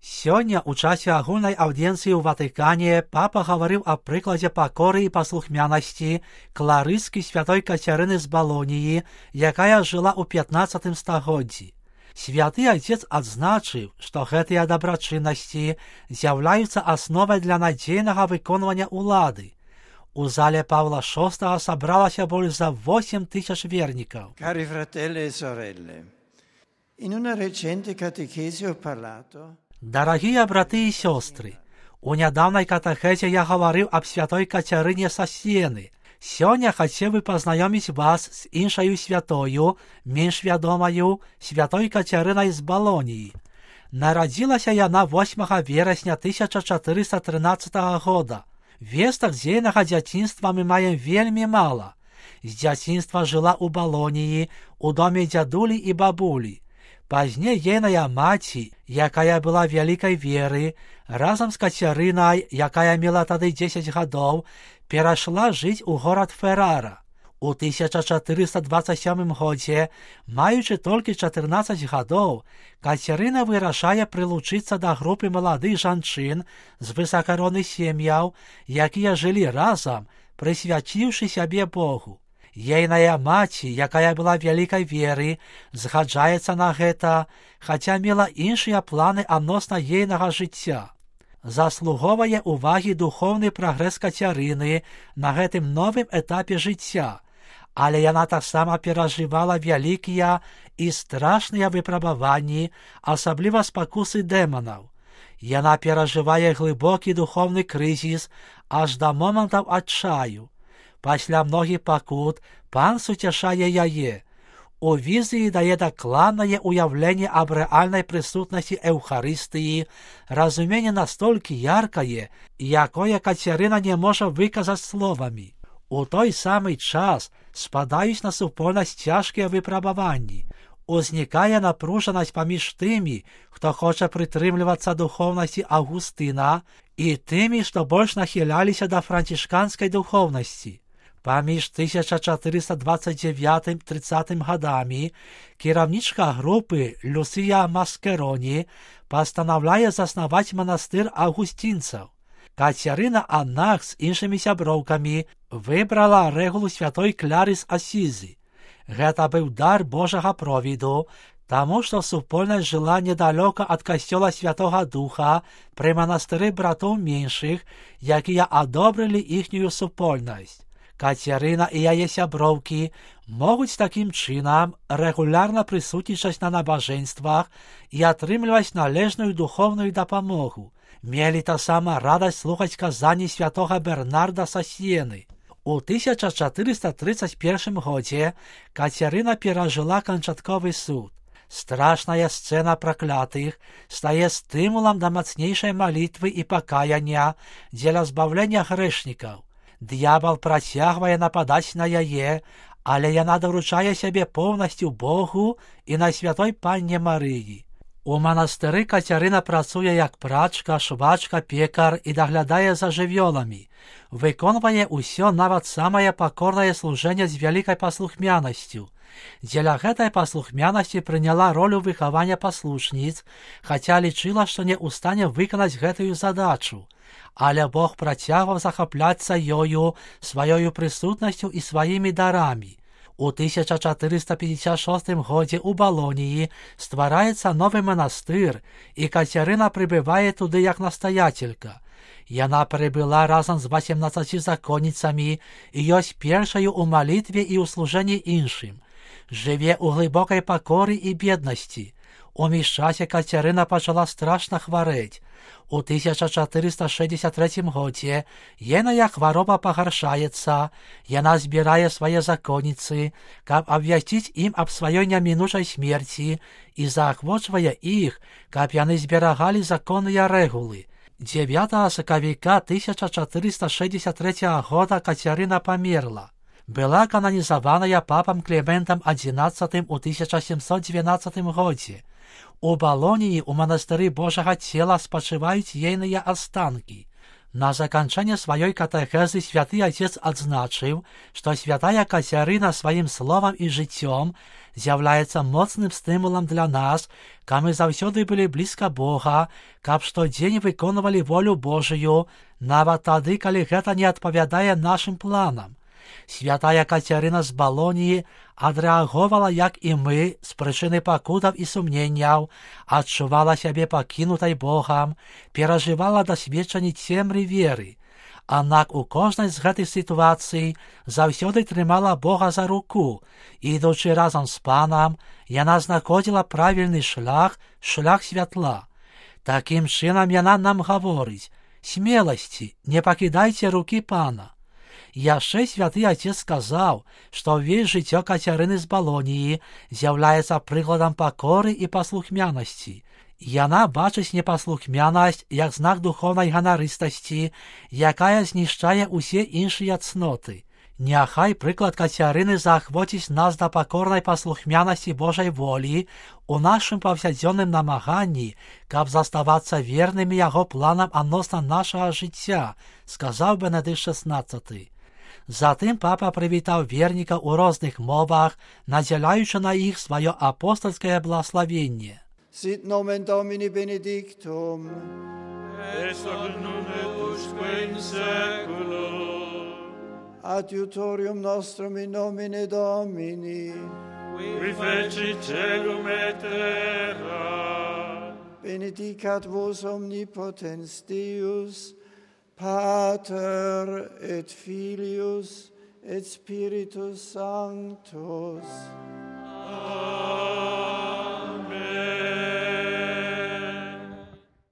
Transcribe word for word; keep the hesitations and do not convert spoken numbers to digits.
Сёння ў часе агульнай аўдыенцыі ў Ватыкане папа гаварыў аб прыкладзе пакоры і паслухмянасці кларыскі святой Кацярыны з Балоніі, якая жыла ў пятнаццатым стагоддзі. Святы Отец адзначыў, што гэтыя дабрачыннасці з'яўляюцца асновай для надзейнага выконвання ўлады. У зале Павла шостага сабралася больш за восем тысяч вернікаў. Cari fratelli e sorelle, in una recente catechesi ho parlato. Дарагія браты і сёстры, у нядаўнай катэхезе я гаварыў аб святой Кацярыне са Сіены. Сёння хацеў бы пазнаёміць вас з іншаю святою, менш вядомаю, святой Кацярынай з Балоніі. Нарадзілася яна восьмага верасня тысяча чатырыста трынаццатага года. Вестак з ейнага дзяцінства мы маем вельмі мала. З дзяцінства жыла ў Балоніі, у доме дзядулі і бабулі. Пазней ейная маці, якая была вялікай веры, разам з Кацярынай, якая мела тады дзесяць гадоў, перайшла жыць у горад Феррара. У тысяча чатырыста дваццаць сёмым годзе, маючы толькі чатырнаццаць гадоў, Кацярына вырашае прылучыцца да групы маладых жанчын з высакаронных сем'яў, якія жылі разам, прысвячыўшы сябе Богу. Ейная маці, якая была вялікай веры, згаджаецца на гэта, хаця мела іншыя планы адносна ейнага жыцця. Заслуговае ўвагі духоўны прагрэс Кацярыны на гэтым новым этапе жыцця, але яна таксама перажывала вялікія і страшныя выпрабаванні, асабліва спакусы дэманаў. Яна перажывае глыбокі духоўны крызіс аж да момантаў адчаю. Пасля многіх пакут пан суцяшае яе. У візіі дае дакладнае ўяўленне аб рэальнай прысутнасці Эўхарыстыі, разуменне настолькі яркае, якое Кацярына не можа выказаць словамі. У той самы час спадаюць на супольнасць цяжкія выпрабаванні. Узнікае напружанасць паміж тымі, хто хоча прытрымлівацца духоўнасці Аўгустына, і тымі, што больш нахіляліся да францішканскай духоўнасці. Паміж тысяча чатырыста дваццаць дзевятым - трыццатым гадамі кіраўнічка групы Люсія Маскероні пастанаўляе заснаваць манастыр аўгусцінцаў. Кацярына аднак з іншымі сяброўкамі выбрала рэгулу святой Кляры з Асізі. Гэта быў дар Божага провіду, таму што супольнасць жыла недалёка ад касцёла Святога Духа пры манастыры братоў меншых, якія адобрылі іхнюю супольнасць. Кацярына і яе сяброўкі могуць такім чынам рэгулярна прысутнічаць на набажэнствах і атрымліваць належную духоўную дапамогу. Мелі таксама радасць слухаць казанні святога Бернарда са Сіены. У тысяча чатырыста трыццаць першым годзе Кацярына перажыла канчатковы суд. Страшная сцэна праклятых стае стымулам да мацнейшай малітвы і пакаяння дзеля збаўлення грэшнікаў. Д'ябал працягвае нападаць на яе, але яна даручае сябе поўнасцю Богу і на святой панне Марыі. У манастыры Кацярына працуе як прачка, швачка, пекар і даглядае за жывёламі. Выконвае ўсё, нават самае пакорнае служэнне з вялікай паслухмянасцю. Дзеля гэтай паслухмянасці прыняла ролю выхавання паслушніц, хаця лічыла, што не ў стане выканаць гэтую задачу. Але Бог працягваў захапляцца ёю, сваёю прысутнасцю і сваімі дарамі. У тысяча чатырыста пятьдесят шостым годзе ў Балоніі ствараецца новы манастыр, і Кацярына прыбывае туды як настаятелька. Яна прыбыла разам з васемнаццаці законніцамі і ёсць першаю ў малітве і ў служэнні іншым. Жыве ў глыбокай пакоры і беднасці. У міжчасе Кацярына пачала страшна хварэць. У тысяча чатырыста шэсцьдзесят трэцім годзе ейная хвароба пагаршаецца, яна збірае свае законніцы, каб абвясціць ім аб сваёй немінучай смерці і заахвочвае іх, каб яны зберагалі законныя рэгулы. дзевятага сакавіка тысяча чатырыста шэсцьдзесят трэцяга года Кацярына памерла. Была кананізаваная папам Клементам адзінаццатым у тысяча сямсот двенаццатым годзе. У Балоніі ў манастыры Божага цела спачываюць ейныя астанкі. На заканчэнне сваёй катэхезы святы Отец адзначыў, што святая Кацярына сваім словам і жыццём з'являецца моцным стимулом для нас, каб мы заўсёды былі блізка Бога, каб штодзень выконвалі волю Божую, нават тады, калі гэта не адпавядае нашым планам. Святая Кацярына з Балоніі адрэагавала, як і мы, з прычыны пакутаў і сумненняў, адчувала сябе пакінутай Богам, перажывала дасведчанні цемры веры. Аднак у кожнай з гэтых сітуацый заўсёды трымала Бога за руку, і, ідучы разам з Панам, яна знаходзіла правільны шлях, шлях святла. Такім чынам яна нам гаворыць: смеласці, не пакідайце рукі Пана. Яшчэ святы Отец сказаў, што ўвесь жыццё Кацярыны з Балоніі з'яўляецца прыкладам пакоры і паслухмянасці. Яна бачыць непаслухмянасць як знак духоўнай ганарыстасці, якая знішчае ўсе іншыя цноты. Няхай прыклад Кацярыны заахвоціць нас да пакорнай паслухмянасці Божай волі у нашым паўсядзённым намаганні, каб заставацца вернымі яго планам адносна нашага жыцця, сказаў Бенедыкт шэснаццаты. Затым папа прывітаў вернікаў у розных мовах, надзяляючы на іх сваё апостальскае благословенне. Sit nomen Domini benedictum, et hoc nunc et usque in saeculum. Adiutorium nostrum in nomine Domini, Qui feci celum et terra. benedicat vos omnipotens Deus, Pater et Filius et Spiritus Sanctus.